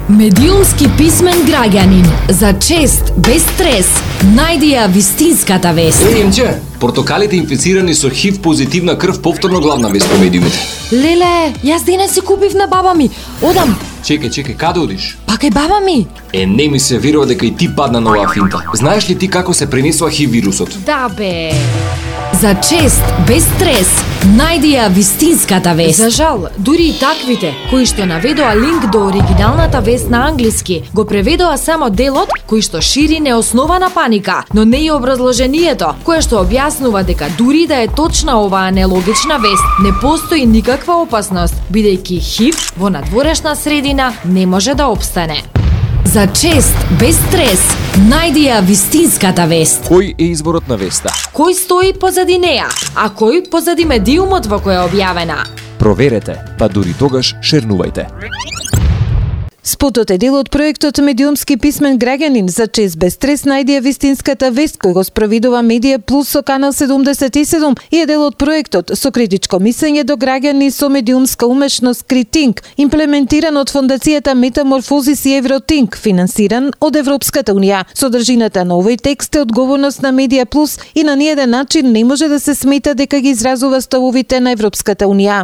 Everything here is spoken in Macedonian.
Медиумски писмен граѓанин, за чест, без стрес, најди ја вистинската вест. Емче, портокалите инфицирани со ХИВ позитивна крв повторно главна вест по медиумите. Леле, јас денес си купив на баба ми. Одам. Чекај, каде одиш? Па кај баба ми. Не ми се верува дека и ти падна на оваа финта. Знаеш ли ти како се пренесува ХИВ вирусот? Да бе. За чест, без стрес, најди ја вистинската вест. За жал, дури и таквите, кои што наведоа линк до оригиналната вест на англиски, го преведоа само делот кој што шири неоснована паника, но не и образложението, кое што објаснува дека дури да е точна оваа нелогична вест, не постои никаква опасност, бидејќи ХИВ во надворешна средина не може да опстане. За чест, без стрес, најди ја вистинската вест. Кој е изворот на веста? Кој стои позади неа, а кој позади медиумот во која е објавена? Проверете, па дури тогаш шернувајте. Спотот е дел од проектот Медиумски писмен граѓанин, за чест без стрес најди ја вистинската вест, кој го спроведува Медија Плюс со Канал 77 и е дел од проектот со критичко мислење до граѓани со медиумска умешност Критинг, имплементиран од фондацијата Метаморфозис и Евротинг, финансиран од Европската унија. Содржината на овој текст е одговорност на Медија Плюс и на ниеден начин не може да се смета дека ги изразува ставовите на Европската унија.